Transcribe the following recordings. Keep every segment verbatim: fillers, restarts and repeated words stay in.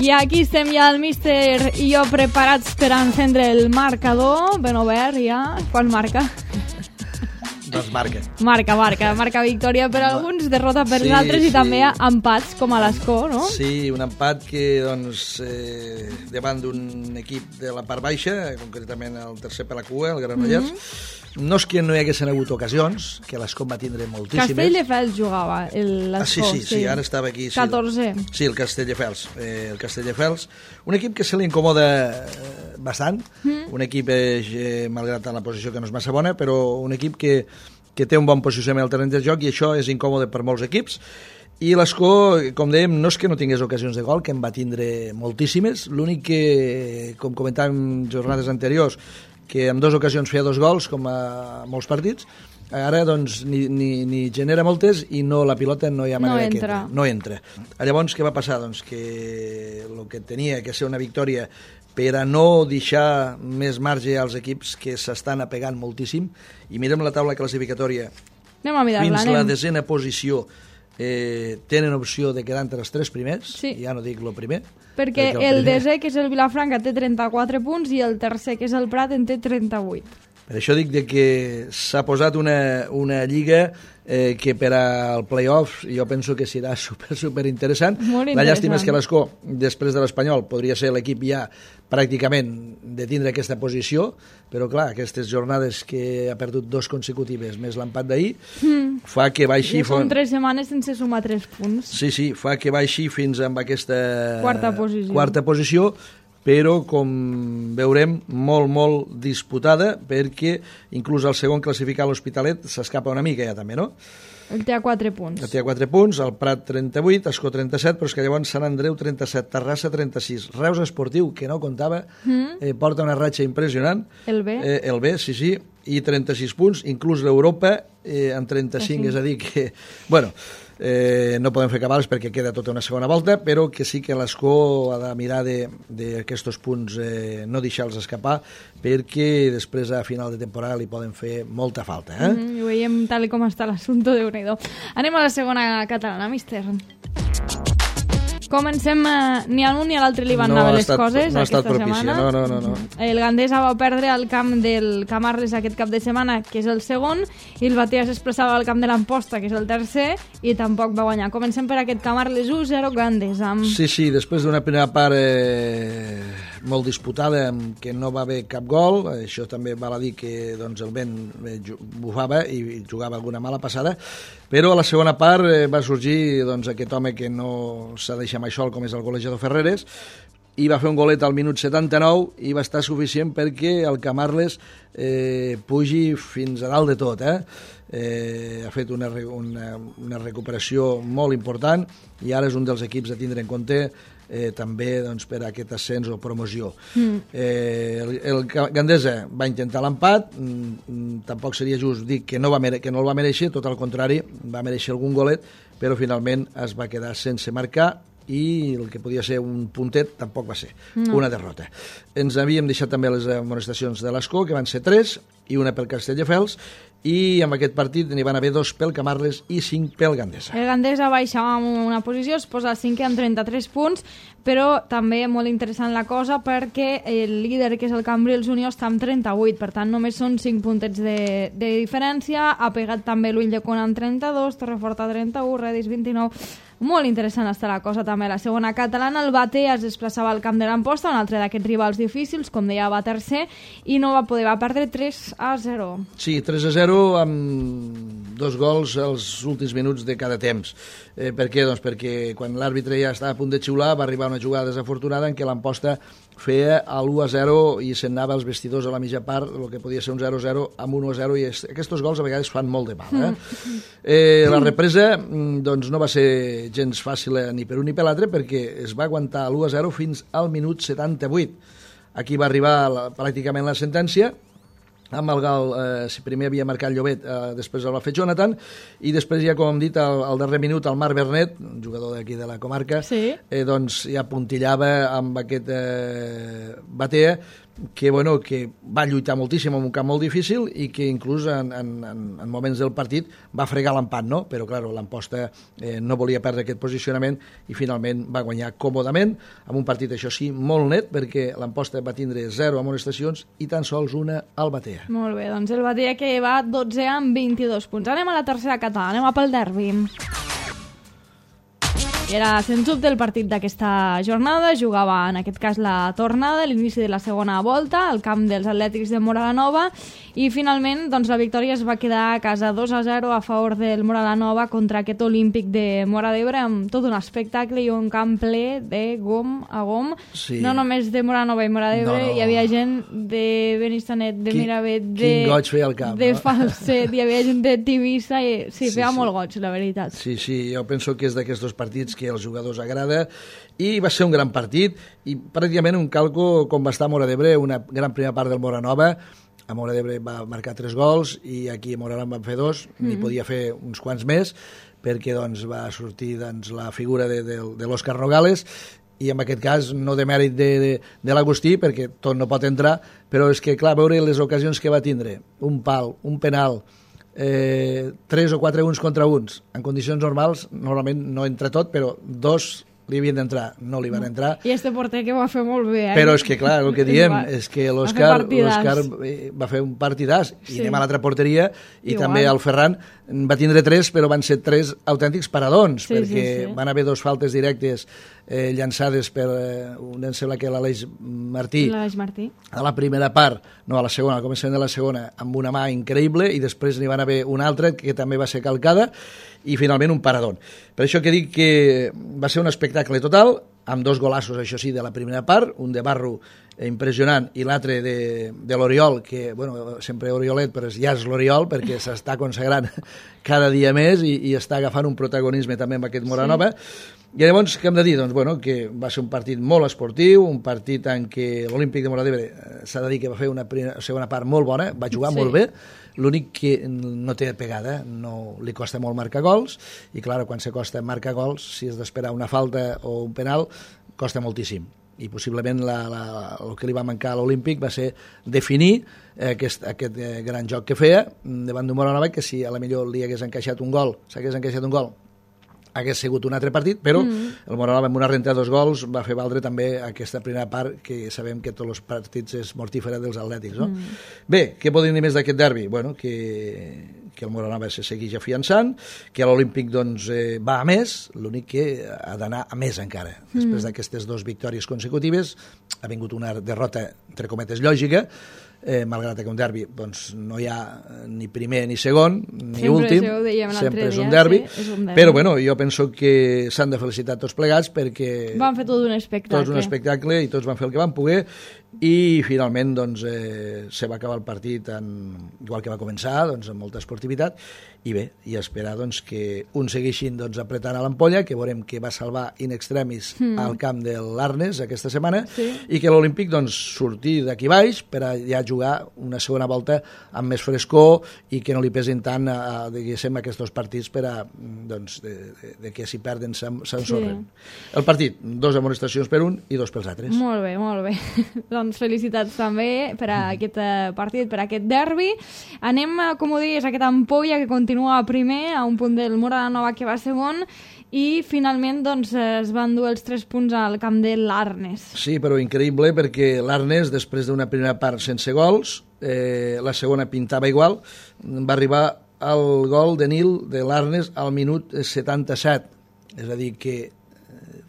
I aquí estem ja el míster i jo preparats per encendre el marcador, ben obert ja. Quan marca? Doncs marca. Marca, marca. Marca victòria per alguns, derrota per sí, altres sí. I també empats, com a l'Escó, no? Sí, un empat que, doncs, eh, davant d'un equip de la part baixa, concretament el tercer per la cua, el Granollers, mm-hmm. No és que no hi haguessin hagut ocasions, que l'Escó va tindre moltíssimes. Castelldefels jugava, l'Escó. Ah, sí, sí, sí, sí, ara estava aquí. Sí, catorze. Sí, el Castelldefels. Eh, el Castelldefels, un equip que se li incomoda bastant, mm. un equip, eh, malgrat la posició que no és massa bona, però un equip que, que té un bon posicionament al terreny de joc i això és incòmode per molts equips. I l'Escó, com dèiem, no és que no tingués ocasions de gol, que en va tindre moltíssimes, l'únic que, com comentàvem jornades anteriors, que en dues ocasions feia dos gols, com a molts partits, ara doncs ni, ni, ni genera moltes i no, la pilota no hi ha manera no que entra. No entra. Llavors, què va passar? Doncs que el que tenia que ser una victòria per a no deixar més marge als equips que s'estan apegant moltíssim, i mirem la taula classificatòria anem a mirar-la, fins anem. la desena posició, eh, tenen opció de quedar entre els tres primers, sí. Ja no dic el primer, perquè el, el desè, que és el Vilafranca, té trenta-quatre punts i el tercer, que és el Prat, en té trenta-vuit. Per això dic de que s'ha posat una, una lliga eh, que per al play-off jo penso que serà super, super interessant. La llàstima és que l'Escó, després de l'Espanyol, podria ser l'equip ja pràcticament de tindre aquesta posició, però clar, aquestes jornades que ha perdut dos consecutives més l'empat d'ahir, mm. fa que baixi... Ja són tres setmanes sense sumar tres punts. Sí, sí, fa que baixi fins amb aquesta quarta posició. Quarta posició, però, com veurem, molt, molt disputada, perquè inclús el segon classificat, l'Hospitalet, s'escapa una mica ja també, no? El té a quatre punts. El té a quatre punts, el Prat trenta-vuit, Escó trenta-set, però és que llavors Sant Andreu trenta-set, Terrassa trenta-sis, Reus Esportiu, que no comptava, mm. eh, porta una ratxa impressionant. El B. Eh, el B, sí, sí, i trenta-sis punts, inclús l'Europa eh, en trenta-cinc, és a dir que... Bueno, eh, no podem fer cabals perquè queda tota una segona volta, però que sí que l'Escó ha de mirar d'aquests punts, eh, no deixar-los escapar, perquè després a final de temporada li poden fer molta falta. Eh? Mm, I ho veiem tal com està l'assumpte, Déu-n'hi-do. Anem a la segona catalana, míster. Comencem, eh, ni a l'un ni a l'altre li van no anar les estat, coses no aquesta propici, setmana. No, no, no, no. El Gandesa va perdre al camp del Camarles aquest cap de setmana, que és el segon, i el Batea s'expressava al camp de l'Amposta, que és el tercer, i tampoc va guanyar. Comencem per aquest Camarles u zero Gandesa. Sí, sí, després d'una primera part eh, molt disputada, que no va haver cap gol, això també val a dir que doncs, el vent bufava i jugava alguna mala passada, però a la segona part eh, va sorgir doncs, aquest home que no s'ha deixat mai sol, com és el golejador Ferreres, i va fer un golet al minut setanta-nou i va estar suficient perquè el Camarles eh, pugi fins a dalt de tot. Eh? Eh, ha fet una, una, una recuperació molt important i ara és un dels equips a tindre en compte eh, també doncs, per a aquest ascens o promoció. Mm. Eh, el, el Gandesa va intentar l'empat, mm, tampoc seria just dir que no, va mere- que no el va mereixer, tot al contrari, va mereixer algun golet, però finalment es va quedar sense marcar i el que podia ser un puntet tampoc va ser, no. Una derrota. Ens havíem deixat també les amonestacions de l'Escó, que van ser tres, i una pel Castelldefels, i en aquest partit n'hi van haver dos pel Camarles i cinc pel Gandesa. El Gandesa baixa en una posició, es posa al cinquè amb trenta-tres punts, però també molt interessant la cosa perquè el líder, que és el Cambrils Unió, està amb trenta-vuit, per tant només són cinc puntets de, de diferència. Ha pegat també l'Ulldecona amb trenta-dos, Torreforta trenta-u, Redis vint-i-nou. Molt interessant està la cosa també. La segona catalana, el Batea es desplaçava al camp de l'Amposta, un altre d'aquests rivals difícils, com deia, va tercer, i no va poder, va perdre tres a zero. Sí, tres a zero amb dos gols als últims minuts de cada temps. Eh, per què? Doncs perquè quan l'àrbitre ja estava a punt de xiular va arribar una jugada desafortunada en què l'Amposta feia l'u a zero i se'n anava als vestidors a la mitja part, el que podia ser un zero a zero amb un u a zero, i aquests gols a vegades fan molt de mal. Eh? Eh, la represa doncs, no va ser gens fàcil ni per un ni per l'altre, perquè es va aguantar l'u a zero fins al minut setanta-vuit. Aquí va arribar la, pràcticament la sentència, amb el Gal, eh, si primer havia marcat Llobet, eh, després el va fer Jonathan, i després ja, com hem dit, al, al darrer minut el Marc Bernet, un jugador d'aquí de la comarca, sí. eh, doncs ja puntillava amb aquest eh, Batea, que, bueno, que va lluitar moltíssim en un camp molt difícil i que inclús en, en, en moments del partit va fregar l'empat, no? Però, clar, l'Amposta eh, no volia perdre aquest posicionament i finalment va guanyar còmodament, amb un partit, això sí, molt net, perquè l'Amposta va tindre zero amonestacions i tan sols una al Batea. Molt bé, doncs el Batea que va dotze amb vint-i-dos punts. Anem a la tercera catalana, anem a pel derbi. I era, sens dubte, el partit d'aquesta jornada. Jugava, en aquest cas, la tornada, l'inici de la segona volta, al camp dels Atlètics de Móra la Nova, i finalment doncs, la victòria es va quedar a casa dos a zero a favor del Móra la Nova contra aquest Olímpic de Móra d'Ebre, amb tot un espectacle i un camp ple de gom a gom. Sí. No només de Móra la Nova i Móra d'Ebre, no, no. Hi havia gent de Benissanet, de Qui, Miravet, de, quin goig feia el camp, de no? Falset, hi havia gent de Tivissa, i sí, sí feia sí. molt goig, la veritat. Sí, sí, jo penso que és d'aquests dos partits que als jugadors agrada, i va ser un gran partit i pràcticament un calco com va estar a Móra d'Ebre, una gran primera part del Móra Nova. A Móra d'Ebre va marcar tres gols i aquí a Móra en van fer dos, mm. n'hi podia fer uns quants més perquè doncs, va sortir doncs, la figura de, de, de l'Òscar Nogales, i en aquest cas no de mèrit de, de, de l'Agustí, perquè tot no pot entrar, però és que clar, veure les ocasions que va tindre, un pal, un penal, Eh, tres o quatre uns contra uns en condicions normals, normalment no entra tot, però dos li havien d'entrar, no li van entrar. I este porter que va fer molt bé, eh? Però és que clar, el que diem és que l'Òscar va fer un partidàs, i sí. anem a l'altra porteria, i Igual. també el Ferran va tindre tres, però van ser tres autèntics paradons, sí, perquè sí, sí. van haver dos faltes directes eh, llançades per, eh, un em sembla que l'Aleix Martí, l'Aleix Martí, a la primera part, no, a la segona, al començament de la segona, amb una mà increïble, i després n'hi van haver una altra que també va ser calcada, i finalment un paradón. Per això que dic que va ser un espectacle total, amb dos golassos, això sí, de la primera part, un de Barro impressionant i l'altre de, de l'Oriol, que, bueno, sempre Oriolet, però ja és l'Oriol, perquè s'està consagrant cada dia més i, i està agafant un protagonisme també amb aquest Móra Nova. Sí. I llavors, què hem de dir? Doncs, bueno, que va ser un partit molt esportiu, un partit en què l'Olímpic de Móra d'Ebre s'ha de dir que va fer una primera, segona part molt bona, va jugar sí. molt bé, l'únic que no té pegada, no li costa molt marcar gols, i clar, quan se costa marcar gols, si has d'esperar una falta o un penal, costa moltíssim. I possiblement la, la, el que li va mancar a l'Olímpic va ser definir aquest, aquest gran joc que feia davant d'un Móra Nova, que si a la millor li hagués encaixat un gol, s'hagués encaixat un gol, hagués sigut un altre partit, però mm. el Móra Nova amb una renta de dos gols va fer valdre també aquesta primera part, que sabem que tots els partits és mortífera dels atlètics, no? Mm. Bé, què podem dir més d'aquest derbi? Bueno, que, que el Móra Nova se segueix afiançant, que l'Olímpic doncs, eh, va a més, l'únic que ha d'anar a més encara. Mm. Després d'aquestes dues victòries consecutives ha vingut una derrota, entre cometes, lògica, Eh, malgrat que un derbi doncs, no hi ha ni primer ni segon ni sempre últim, sempre és un derbi, sí, és un derbi, però bueno, jo penso que s'han de felicitar tots plegats perquè van fer tot un espectacle, tots un espectacle i tots van fer el que van poder, i finalment doncs, eh, se va acabar el partit en, igual que va començar, doncs, amb molta esportivitat, i bé, i esperar doncs, que uns segueixin doncs, apretant a l'ampolla, que veurem que va salvar in extremis mm. al camp de l'Arnes aquesta setmana, sí. i que l'Olímpic doncs, surti d'aquí baix per a ja jugar una segona volta amb més frescor i que no li pesin tant a, a, diguéssim, aquests dos partits per a, doncs, de, de, de que si perden s'ensorren. Sí. El partit, dos amonestacions per un i dos pels altres. Molt bé, molt bé. Doncs felicitats també per a aquest partit, per a aquest derbi. Anem, com ho deies, a aquest Ampolla que continua primer, a un punt del Móra la Nova que va segon, i finalment doncs, es van dur els tres punts al camp de l'Arnes. Sí, però increïble, perquè l'Arnes, després d'una primera part sense gols, eh, la segona pintava igual, va arribar al gol de Nil de l'Arnes al minut setanta-set, és a dir, que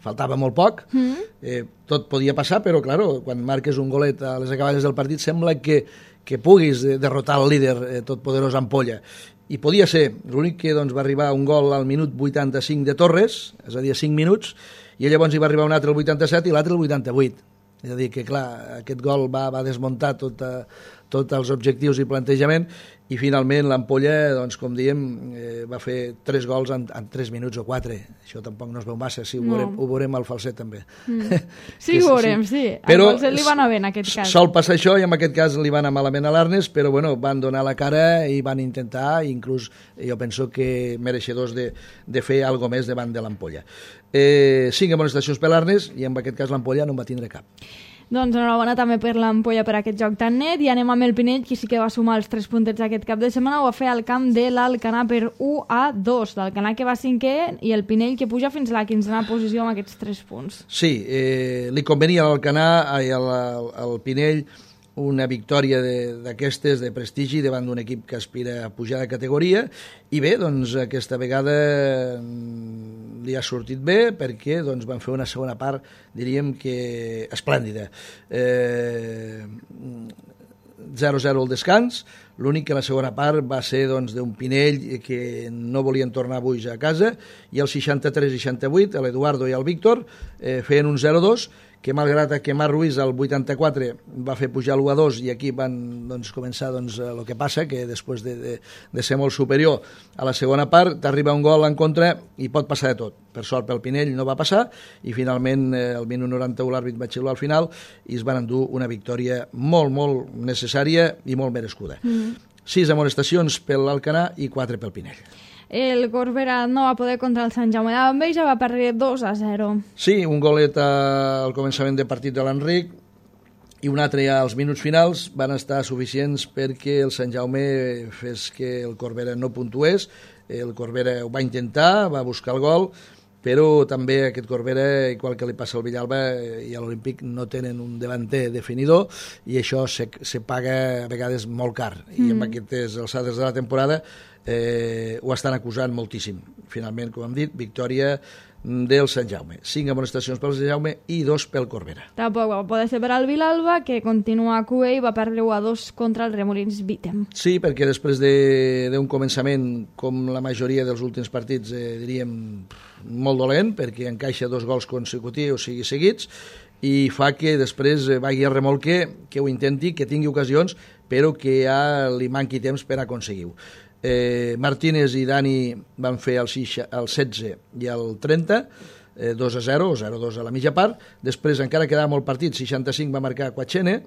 faltava molt poc, mm. eh, tot podia passar, però claro, quan marques un golet a les acaballes del partit sembla que, que puguis derrotar el líder eh, totpoderós Ampolla. I podia ser, l'únic que doncs, va arribar un gol al minut vuitanta-cinc de Torres, és a dir, cinc minuts, i llavors hi va arribar un altre al vuitanta-set i l'altre al vuitanta-vuit. És a dir, que clar, aquest gol va, va desmuntar tots tot els objectius i plantejament, i finalment l'Ampolla, doncs, com diem, eh, va fer tres gols en, en tres minuts o quatre. Això tampoc no es veu massa, sí, ho, no. veurem, ho veurem al Falset també. Mm. Sí, ho veurem, sí. Però al Falset li va anar bé en aquest cas. Sol passar això, i en aquest cas li va anar malament a l'Arnes, però bueno, van donar la cara i van intentar, i inclús jo penso que mereixedors de, de fer alguna més davant de l'Ampolla. Eh, cinc amonestacions per l'Arnes, i en aquest cas l'Ampolla no en va tindre cap. Doncs enhorabona també per l'Ampolla per aquest joc tan net, i anem amb el Pinell, que sí que va sumar els tres puntets aquest cap de setmana, ho va fer al camp de l'Alcanar per u a dos, l'Alcanar que va cinquè i el Pinell que puja fins a la quinzena posició amb aquests tres punts. Sí, eh, li convenia a l'Alcanar, al, al, al Pinell, una victòria d'aquestes de, de prestigi davant d'un equip que aspira a pujar de categoria, i bé, doncs aquesta vegada li ha sortit bé perquè doncs, van fer una segona part, diríem que esplèndida. Eh, zero a zero al descans, l'únic que la segona part va ser doncs, d'un Pinell que no volien tornar avui a casa, i el seixanta-tres seixanta-vuit, l'Eduardo i el Víctor eh, feien un zero a dos, que malgrat que Marc Ruiz al vuitanta-quatre va fer pujar l'u a dos, i aquí van doncs, començar doncs, el que passa, que després de, de, de ser molt superior a la segona part, t'arriba un gol en contra i pot passar de tot. Per sort pel Pinell no va passar, i finalment eh, el minut noranta-u l'àrbit va xiular al final i es van endur una victòria molt, molt necessària i molt merescuda. Mm. Sis amonestacions per l'Alcanar i quatre pel Pinell. El Corbera no va poder contra el Sant Jaume d'Enveja, va perdre dos a zero. Sí, un golet al començament de partit de l'Enric i un altre ja als minuts finals van estar suficients perquè el Sant Jaume fes que el Corbera no puntués. El Corbera ho va intentar, va buscar el gol, però també aquest Corbera, igual que li passa al Villalba i a l'Olímpic, no tenen un davanter definidor, i això se, se paga a vegades molt car, mm. i amb aquestes alçades de la temporada eh, ho estan acusant moltíssim. Finalment, com hem dit, victòria del Sant Jaume. Cinc amonestacions pel Sant Jaume i dos pel Corbera. Tampoc va poder ser per al Vilalba, que continua a Q E i va perdre u a dos contra el Remolins Vítem. Sí, perquè després d'un de, començament, com la majoria dels últims partits, eh, diríem, molt dolent, perquè encaixa dos gols consecutius, o sigui, seguits, i fa que després vagi a remolque, que ho intenti, que tingui ocasions, però que ja li manqui temps per aconseguir-ho. Eh, Martínez i Dani van fer el, setze, el setze i el trenta, eh, dos a zero, o zero a dos a la mitja part. Després encara quedava molt partit, seixanta-cinc va marcar Quachene,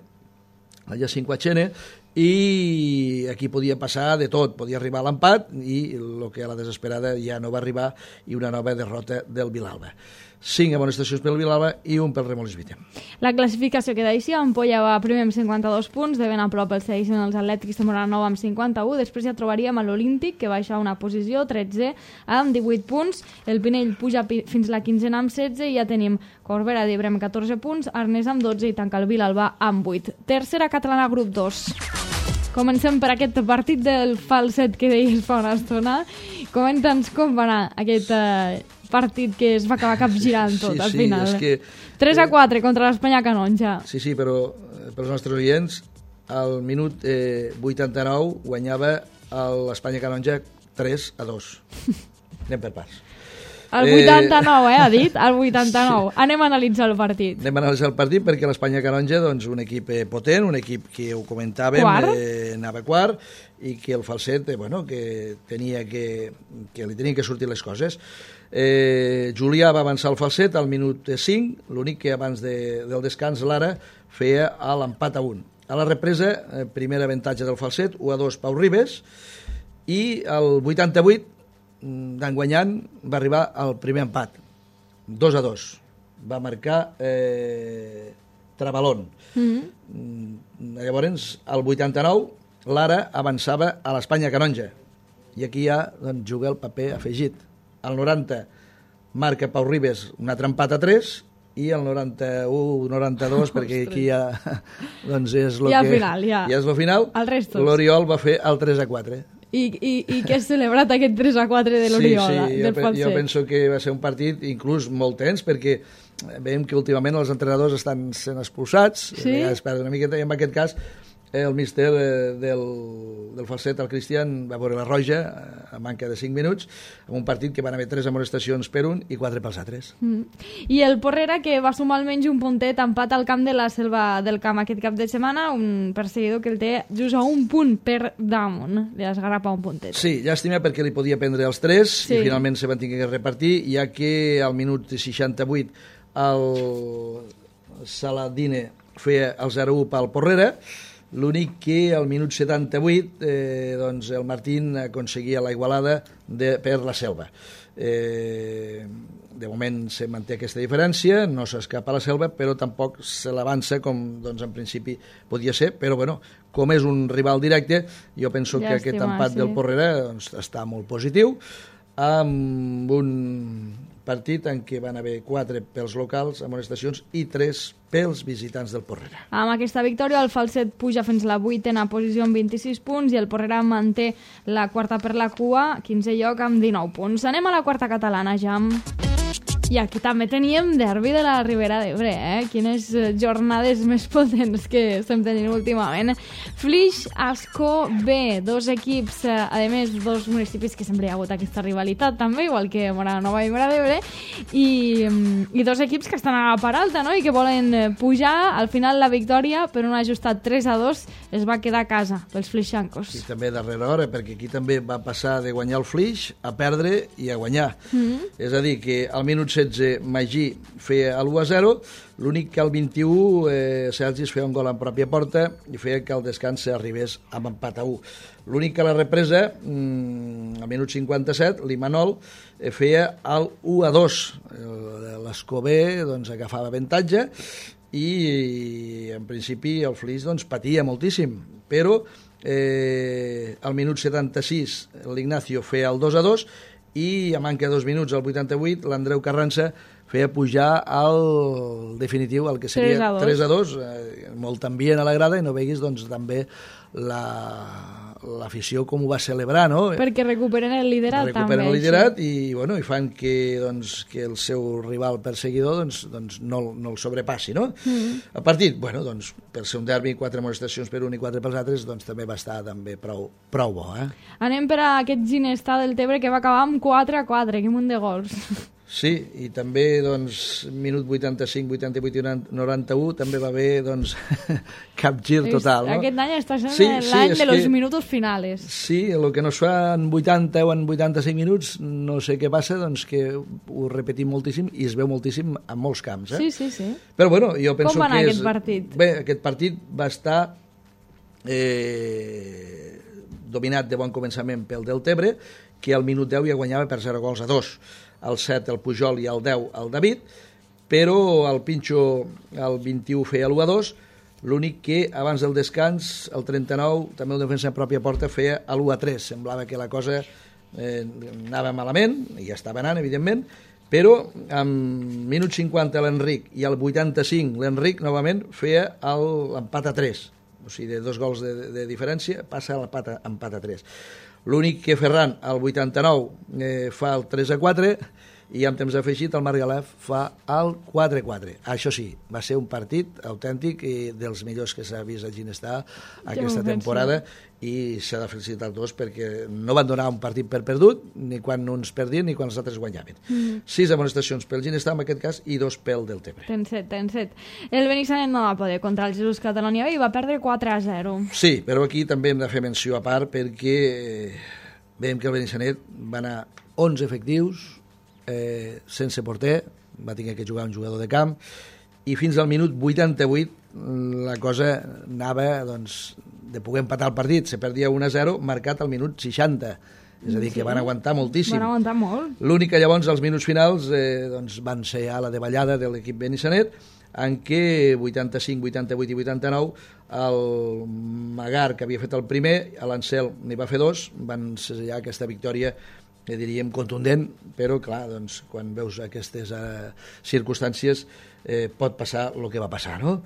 allà cinc Quachene, i aquí podia passar de tot, podia arribar a l'empat, i el que a la desesperada ja no va arribar, i una nova derrota del Vilalba. Cinc amonestacions pel Vilalba i un pel Remolins Vítem. La classificació queda així: Ampolla va primer amb cinquanta-dos punts, de ben a prop el segueixen els Atlètics de Moranova amb cinquanta-u, després ja trobaríem a l'Olímpic, que baixa una posició, tretze, amb divuit punts, el Pinell puja fins la quinzena amb setze, i ja tenim Corbera d'Ebre amb catorze punts, Arnès amb dotze i tanca el Vilalba amb vuit. Tercera catalana, grup dos. Comencem per aquest partit del falset que deies fa una estona. Comenta'ns com va anar aquest eh, partit que es va acabar capgirant tot, sí, al sí, final. És que, tres a quatre contra l'Espanya Canonja. Sí, sí, però eh, pels nostres oients, al minut eh, vuitanta-nou guanyava l'Espanya Canonja tres a dos. Anem per parts. El vuitanta-nou, eh, ha dit? El vuitanta-nou. Sí. Anem a analitzar el partit. Anem a analitzar el partit perquè l'Espanya Canonja, doncs, un equip potent, un equip que ho comentàvem, eh, anava quart, i que el falset, eh, bueno, que tenia que, que li tenien que sortir les coses. Eh, Julià va avançar el falset al minut cinc, l'únic que abans de, del descans l'Ara feia a l'empat a un. A la represa, eh, primer avantatge del falset, u a dos Pau Ribes, i al vuitanta-vuit, d'enguanyant, va arribar al primer empat, dos a dos. Va marcar eh, Trabalón. Mm-hmm. Llavors, al vuitanta-nou, l'Ara avançava a l'Espanya Canonja. I aquí ja doncs, juga el paper afegit. Al noranta marca Pau Ribes un altre empat a tres, i el noranta-u noranta-dos, perquè aquí ja doncs és lo ja que, final, ja. ja és lo final. L'Oriol va fer el tres a quatre. I, i, i què has celebrat aquest tres a quatre de l'Oriol? Sí, sí, jo, pe jo penso que va ser un partit inclús molt tens, perquè veiem que últimament els entrenadors estan sent expulsats, sí? Es perden una miqueta, i en aquest cas el míster del, del falset, el Cristian, va veure la roja a manca de cinc minuts, en un partit que van haver tres amonestacions per un i quatre pels altres. Mm. I el Porrera, que va sumar almenys un puntet, empat al camp de la Selva del Camp aquest cap de setmana, un perseguidor que el té just a un punt per damunt, li esgarrapa un puntet. Sí, llàstima perquè li podia prendre els tres, sí. I finalment se van tenir que repartir, ja que al minut seixanta-vuit el Saladine feia el zero a u pel Porrera. L'únic que al minut setanta-vuit eh, doncs el Martín aconseguia la igualada de, per la Selva. Eh, de moment se manté aquesta diferència, no s'escapa a la selva, però tampoc se l'avança com doncs, en principi podia ser, però bueno, com és un rival directe, jo penso Llàstima, que aquest empat sí. del Porrera doncs, està molt positiu, amb un partit en què van haver quatre pels locals, amonestacions, i tres pels visitants del Porrera. Amb aquesta victòria, el Falset puja fins la vuitena posició amb vint-i-sis punts i el Porrera manté la quarta per la cua, quinzè lloc amb dinou punts. Anem a la quarta catalana, Jam. I aquí també teníem derbi de la Ribera d'Ebre, eh? Quines jornades més potents que estem tenint últimament. Flix, Ascó, B, dos equips, eh, a més, dos municipis que sempre hi ha hagut aquesta rivalitat també, igual que Móra Nova i Móra d'Ebre, i, i dos equips que estan a la part alta, no?, i que volen pujar. Al final la victòria, per un ajustat tres a dos, es va quedar a casa pels flixancos. I també darrere hora, perquè aquí també va passar de guanyar el Flix a perdre i a guanyar. Mm-hmm. És a dir, que al minut setze Magí feia l'u a zero, l'únic que al vint-i-u eh, Sergi es feia un gol en pròpia porta i feia que el descans arribés amb empat a u. L'únic que a la represa, mmm, al minut cinquanta-set, l'Imanol eh, feia el u a dos. L'Escobé doncs, agafava avantatge i en principi el Flix doncs, patia moltíssim, però eh, al minut setanta-sis l'Ignacio feia el dos a dos i a manca de dos minuts, al vuitanta-vuit, l'Andreu Carranza feia pujar al definitiu, el que seria tres a dos, eh, molt ambient a la grada, i no veguis doncs, també l'afició com ho va celebrar, no? Perquè recuperen el liderat recuperen també. Recuperen el liderat i, bueno, i fan que, doncs, que el seu rival perseguidor doncs, doncs no, no el sobrepassi, no? Mm. El partit, bueno, doncs, per ser un derbi, quatre amonestacions per un i quatre pels altres, doncs també va estar també prou, prou bo, eh? Anem per a aquest Ginestà del Tebre que va acabar amb quatre a quatre, que munt de gols. Sí, i també, doncs, minut vuitanta-cinc, vuitanta-vuit i noranta-u també va haver, doncs, cap gir total, no? Aquest any està sent sí, l'any sí, de los que, minutos finales. Sí, el que no es fa en vuitanta o en vuitanta-cinc minuts, no sé què passa, doncs que ho repetim moltíssim i es veu moltíssim en molts camps, eh? Sí, sí, sí. Però, bueno, jo penso que és... Com va anar aquest partit? Bé, aquest partit va estar eh, dominat de bon començament pel del Tebre, que al minut deu ja guanyava per zero gols a dos. Al set el Pujol i al deu el David, però el Pinxo al vint-i-u feia l'u a dos, l'únic que abans del descans, el trenta-nou, també el defensa en pròpia porta feia l'u a tres. Semblava que la cosa eh, anava malament, i ja estava anant, evidentment, però amb minut cinquanta l'Enric i al vuitanta-cinc l'Enric novament feia l'empat a tres. O sigui, de dos gols de, de, de diferència passa a l'empat a tres. L'únic que Ferran, al vuitanta-nou, eh, fa el tres a quatre i amb temps afegit el Margalef fa el quatre a quatre. Això sí, va ser un partit autèntic i dels millors que s'ha vist a Ginestà aquesta temporada i s'ha de felicitar els dos perquè no van donar un partit per perdut ni quan uns perdien ni quan els altres guanyaven. Mm. Sis amonestacions pel Ginestà en aquest cas i dos pel del Tebre. Ten set, ten set. El Benissanet no va poder contra el Jesús Catalonia i va perdre quatre a zero. Sí, però aquí també hem de fer menció a part perquè veiem que el Benissanet va anar onze efectius Eh, sense porter, va tenir que jugar un jugador de camp i fins al minut vuitanta-vuit la cosa anava doncs, de poder empatar el partit, se perdia un a zero marcat al minut seixanta, és a dir, sí, que van aguantar moltíssim. Van aguantar molt. L'únic que llavors als minuts finals eh, doncs, van ser a la davallada de l'equip Benissanet, en què vuitanta-cinc, vuitanta-vuit i vuitanta-nou el Magar, que havia fet el primer, a l'Ancel n'hi va fer dos, van sellar aquesta victòria que diríem contundent, però clar, doncs, quan veus aquestes eh, circumstàncies eh, pot passar el que va passar, no?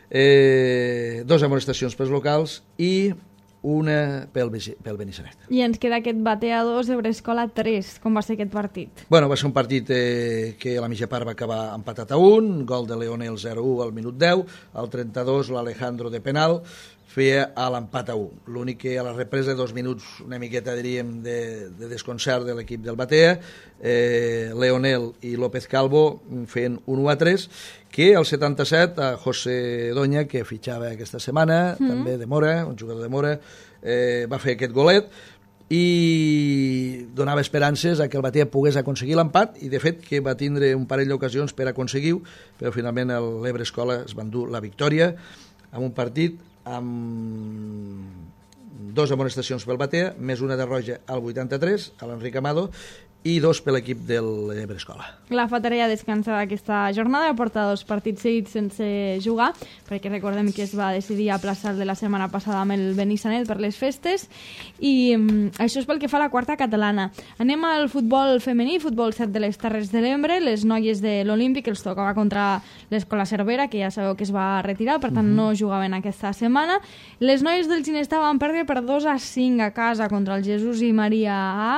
Eh, dos amonestacions pels locals i una pel, pel Benissanet. I ens queda aquest Batea dos, Ebrescola tres. Com va ser aquest partit? Bueno, va ser un partit eh, que a la mitja part va acabar empatat a un, gol de Leonel zero a u al minut deu, al trenta-dos l'Alejandro de penal feia a l'empat a u. L'únic que a la represa, dos minuts una miqueta, diríem, de, de desconcert de l'equip del Batea, eh, Leonel i López Calvo feien un u a tres, que al setanta-set a José Doña, que fitxava aquesta setmana, mm. també de Mora, un jugador de Mora, eh, va fer aquest golet i donava esperances a que el Batea pogués aconseguir l'empat i de fet que va tindre un parell d'ocasions per aconseguir-ho, però finalment l'Ebre Escola es va endur la victòria amb un partit amb dos amonestacions pel Batea, més una de roja al vuitanta-tres, a l'Enric Amado, i dos per l'equip de l'Ebrescola. La Fatarella descansa aquesta jornada, porta dos partits seguits sense jugar, perquè recordem que es va decidir aplaçar de la setmana passada amb el Benissanet per les festes, i um, això és pel que fa a la quarta catalana. Anem al futbol femení, futbol set de les Terres de l'Ebre. Les noies de l'Olímpic els tocava contra l'Escola Cervera, que ja sabeu que es va retirar, per tant uh-huh. no jugaven aquesta setmana. Les noies del Ginestà van perdre per dos a cinc a casa contra el Jesús i Maria A.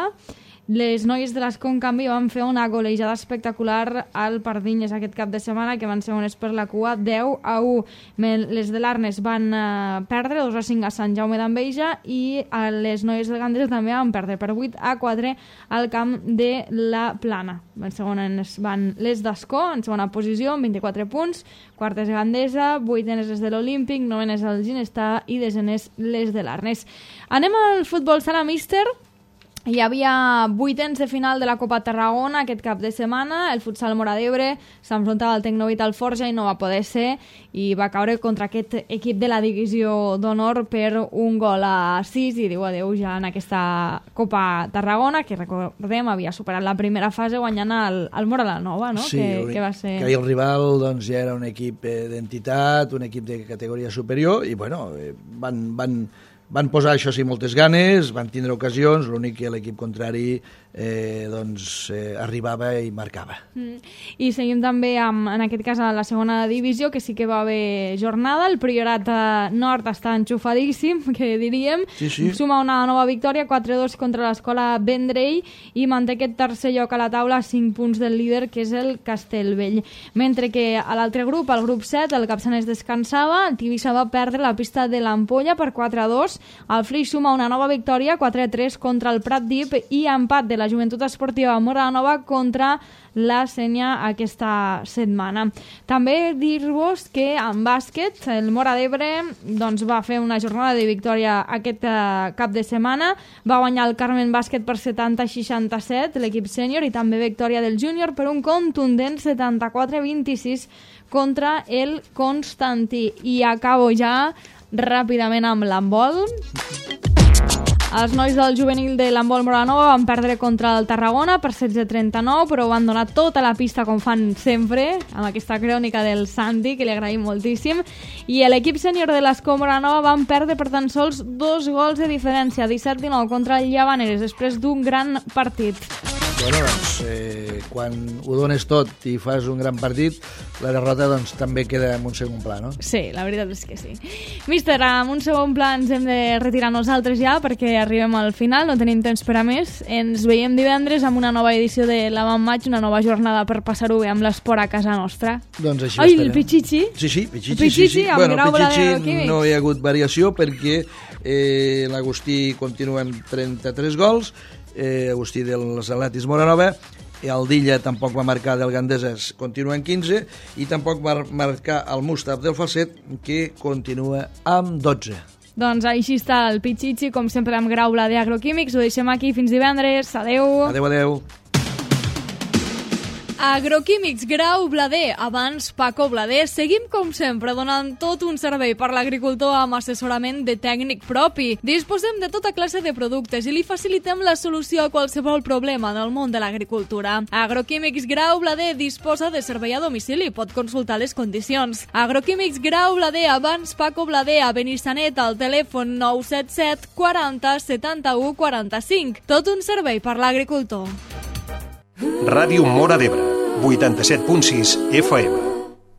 Les noies de l'Escó, en canvi, van fer una golejada espectacular al Pardinyes aquest cap de setmana, que van ser unes per la cua, deu a u. Les de l'Arnes van uh, perdre dos a cinc a Sant Jaume d'Enveja, i uh, les noies del Gandesa també van perdre per vuit a quatre al camp de la Plana. En segones van les d'Escó, en segona posició, amb vint-i-quatre punts, quartes Gandesa, vuitenes les de l'Olímpic, novenes el Ginestà i desenes les de l'Arnes. Anem al futbol sala míster. Hi havia vuitens de final de la Copa Tarragona aquest cap de setmana. El futsal Móra d'Ebre s'enfrontava al Tecnovit Alforja i no va poder ser, i va caure contra aquest equip de la divisió d'honor per un gol a sis, i diu adeu ja en aquesta Copa Tarragona, que recordem havia superat la primera fase guanyant el, el Móra la Nova, no? Sí, que, que va ser... que el rival doncs, ja era un equip d'entitat, un equip de categoria superior, i bueno, van... van Van posar, això sí, moltes ganes, van tindre ocasions, l'únic que l'equip contrari eh, doncs, eh, arribava i marcava. Mm. I seguim també, amb, en aquest cas, a la segona divisió, que sí que va haver jornada. El Priorat Nord està enxufadíssim, que diríem. Sí, sí. Suma una nova victòria, quatre a dos contra l'Escola Vendrell, i manté aquest tercer lloc a la taula, cinc punts del líder, que és el Castellvell. Mentre que a l'altre grup, al grup set, el Capçanes descansava, el Tivissa va perdre la pista de l'Ampolla per quatre a dos, el Flix suma una nova victòria, quatre a tres contra el Prat Dip, i empat de la Joventut Esportiva Móra Nova contra la Sénia aquesta setmana. També dir-vos que en bàsquet el Móra d'Ebre doncs, va fer una jornada de victòria aquest uh, cap de setmana, va guanyar el Carmen Bàsquet per setanta a seixanta-set l'equip sènior, i també victòria del júnior per un contundent setanta-quatre a vint-i-sis contra el Constantí. I acabo ja ràpidament amb l'handbol. Els nois del juvenil de l'handbol Móra Nova van perdre contra el Tarragona per setze a trenta-nou, però van donar tota la pista com fan sempre, amb aquesta crònica del Santi, que li agraïm moltíssim. I l'equip sènior de l'Escó Móra Nova van perdre per tan sols dos gols de diferència, disset a dinou contra el Llavaneres, després d'un gran partit. Bueno, doncs, eh, quan ho dones tot i fas un gran partit, la derrota doncs, també queda en un segon pla, no? Sí, la veritat és que sí. Míster, en un segon pla ens hem de retirar nosaltres ja, perquè arribem al final, no tenim temps per a més. Ens veiem divendres amb una nova edició de l'Avantmatch, una nova jornada per passar-ho bé amb l'esport a casa nostra. Doncs així Ai, estarem. el Pichichi? Sí, sí, Pichichi, el Pichichi, sí, sí. Amb bueno, Pichichi no hi ha hagut variació perquè eh, l'Agustí continua amb trenta-tres gols, eh, Agustí dels Atletis Móra Nova, el Dilla tampoc va marcar del Gandeses, continua en quinze, i tampoc va marcar el Mustaf del Falset, que continua amb dotze. Doncs així està el Pichichi, com sempre amb Grau Blader Agroquímics. Ho deixem aquí fins divendres. Adeu. Adeu, adeu. Agroquímics Grau Blader, abans Paco Blader. Seguim com sempre donant tot un servei per l'agricultor amb assessorament de tècnic propi. Disposem de tota classe de productes i li facilitem la solució a qualsevol problema del món de l'agricultura. Agroquímics Grau Blader disposa de servei a domicili, pot consultar les condicions. Agroquímics Grau Blader, abans Paco Blader, a Benissanet, al telèfon nou set set quaranta setanta-u quaranta-cinc. Tot un servei per l'agricultor. Ràdio Móra d'Ebre, vuitanta-set punt sis F M.